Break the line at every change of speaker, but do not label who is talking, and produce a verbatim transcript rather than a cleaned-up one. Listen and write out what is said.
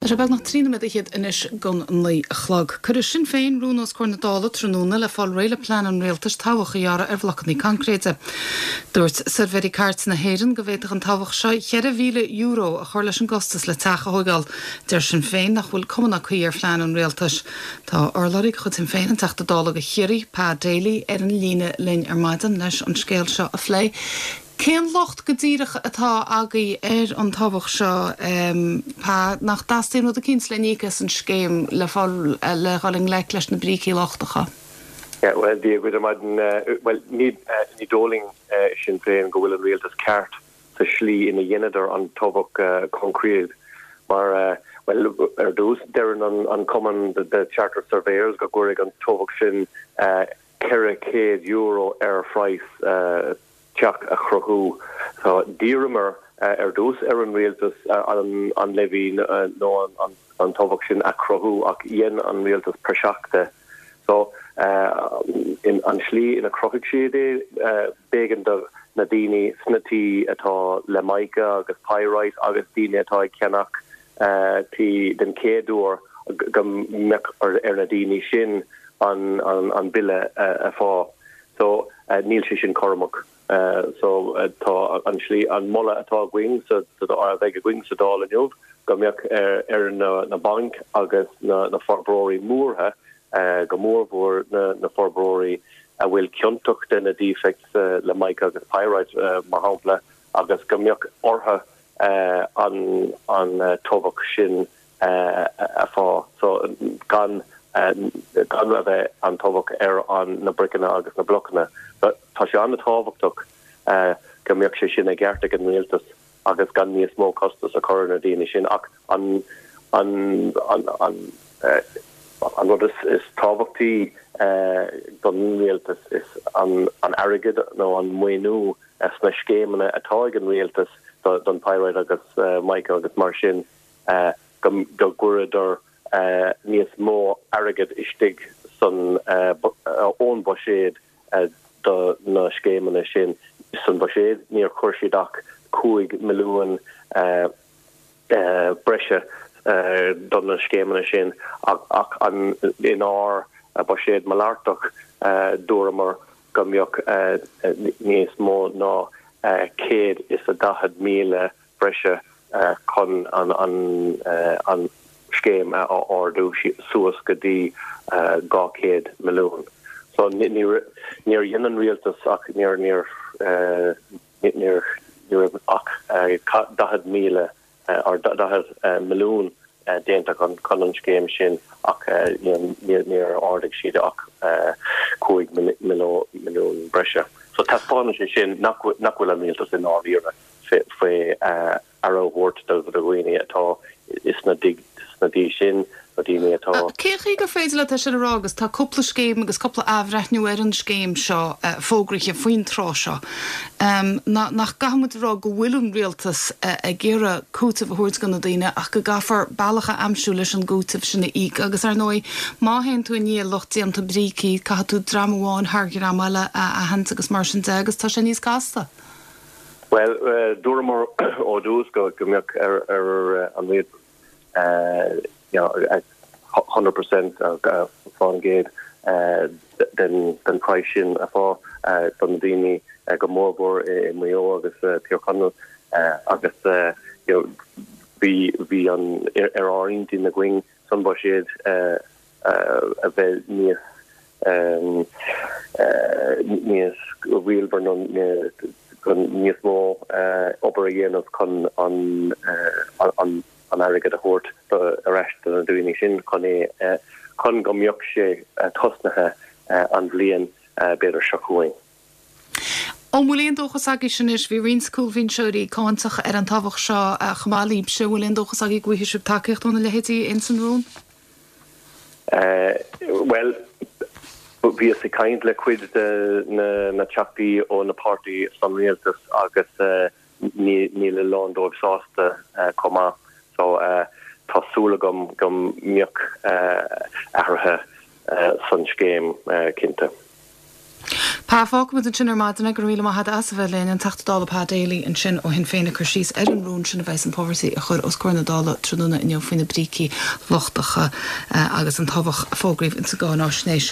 Tá sé beagnach trí nóiméad fhichead anois don naoi a chlog. Cuirfidh Sinn Féin rún os comhair na Dála tráthnóna le fáil réidh le plean an rialtais tobhach a ghearradh ar bhlocanna coincréite. Dúirt Suirbhéirí Cairt na hÉireann go bhféadfadh an tobhach seo ceithre mhíle euro a chur leis an gcostas le teach a thógáil. Deir Sinn Féin nach bhfuil cuma ná caoi ar phlean an rialtais. Tá urlabhraí de chuid Shinn Féin an Teachta Dála do Chiarraí, Pa Daly, ar an líne linn ar maidin leis an scéal seo a phlé. Cén locht go díreach atá agaibh ar an tobhach seo Pa nach dteastaíonn rud eicínt le n-íoc as an scéim le fáil le dhul i ngleic leis na brící lochtacha?
Yeah, well, Dia dhuit ar maidin well ní ní dóigh linn Sinn Féin go bhfuil an rialtas ceart sa slí ina dheineadar an tobhach coincréit mar uh, well ar dtús deireann an, an cumann the, the Chartered Surveyors go gcuirfidh an tobhach sin uh, ceithre chéad euro ar phraghas uh, teach a chruthú. So d'iarramar uh, ar dtús ar an rialtas uh, an, an levy uh, nó an, an, an tobhach sin a chruthú ach dhein an rialtas praiseach de. So uh, in an slí ina chruthaigh siad é uh, b'éigean do na daoine sna tithe atá le mica agus pyrite agus daoine atá ag ceannach uh, tí den chéad uair go mbeadh ar, ar na daoine sin an, an, an bille uh, a fháil. So uh, níl sé sin cothrom. Uh, so uh, tá an slí an moladh atá againn sa a bheidh againn sa Dáil inniu go mbeadh ar, ar na, na bainc agus na, na forbróirí móra uh, go mórmhór na, na forbróirí a bhfuil ciontach de na defects uh, le mica agus pyrite uh, mar shampla agus go mbeadh orthu uh, an, an uh, tobhach sin uh, a fháil so gan uh, gan a bheith an tobhach ar an na briceanna agus na blocanna. Tá sé an-tábhachtach uh, go mbeadh sé sin i gceart ag an rialtas agus gan níos mó costas a chur na daoine sin ach an an an an uh, an rud is, is tábhachtaí uh, don rialtas is an, an airgead nó an maoiniú sna scéimeanna atá ag an rialtas do, don pyrite agus uh, mica agus mar sin uh, go, go gcuireadar uh, níos mó airgead istigh san uh, uh, ón buiséad uh, do na scéimeanna sin san buiséad níor chuir siad ach cúig milliún uh, uh, breise uh, don na scéimeanna sin ach, ach an inár uh, buiséad malartach uh, dúramar go mbeadh uh, níos mó ná uh, céad is a daichead míle breise uh, chun an, an, uh, an scéim a ardú suas go dtí uh, dhá chéad milliún. So níor dhein an rialtas ach níor níor uh, níor níor ach uh, daichead míle uh, ar daichead uh, milliún uh, déanta chun chun an scéim sin ach uh, níor ardaigh siad ach uh, cúig milliún breise. So taispeánann sé sin nach nach bhfuil an rialtas i ndáiríre faoi uh, aire a thabhairt do dhaoine atá is na dig na dí sin na daoine atá.
Cé chaoi gur féidir leat sin a rá agus tá cúpla scéim agus cúpla athbhreithniú ar an scéim seo uh, fógraithe faoin tráth seo. Um, nach gcaithfimid rá go bhfuil an rialtas uh, ag iarraidh cúiteamh a thabhairt do na daoine ach go gcaithfear bealach a aimsiú leis an gcúiteamh sin a íoc agus ar ndóigh má théann tú i ndiaidh lucht déanta brící caithfidh tú dream amháin thar dream eile a aithint agus mar sin de agus tá sé níos casta.
Well uh, dúramar ó dtús go go mbeadh ar ar an rialtas uh, you know, hundred percent faoin gcéad uh, den den price sin a fháil uh, don daoine uh, go mórmhór i Maigh Eo agus uh, Tír Chonaill uh, agus uh, you know, bhí bhí an ar ár intinn againn san buiséad uh, uh, a bheith níos um, uh, níos rialmhar nó níos mó uh, obair a dhéanamh chun an uh, an an airgead a thabhairt ar ais do na daoine sin chun é uh, chun go mbeadh sé uh, tosnaithe uh, an bhliain uh, b'fhéidir seo chugainn.
An bhfuil aon dóchas agaibh sin is bhí roinnt cúlbhinseoirí cáinteach ar an tobhach seo chomh maith libhse bhfuil aon dóchas agaibh go bhfaighidh sibh tacaíocht óna leithéidí ins an rún?
Uh, well, bhíos ag caint le cuid de na, na teachtaí ó na páirtí san rialtas agus uh, níl a lán dóibh sásta uh, chomh maith. So uh, tá súil agam go mbeadh uh, athruithe uh, san scéim uh, cinnte.
Pa fágfaimid ansin ar maidin go raibh míle maith agat as a bheith linn an Teachta Dála Pa Daly ansin ó Shinn Féin ag cur síos ar an rún sin a bheas an Poverty a chur os comhair na Dála tráthnóna inniu faoi na brící lochtacha agus an tobhach a fógraíodh insa gcáinaisnéis.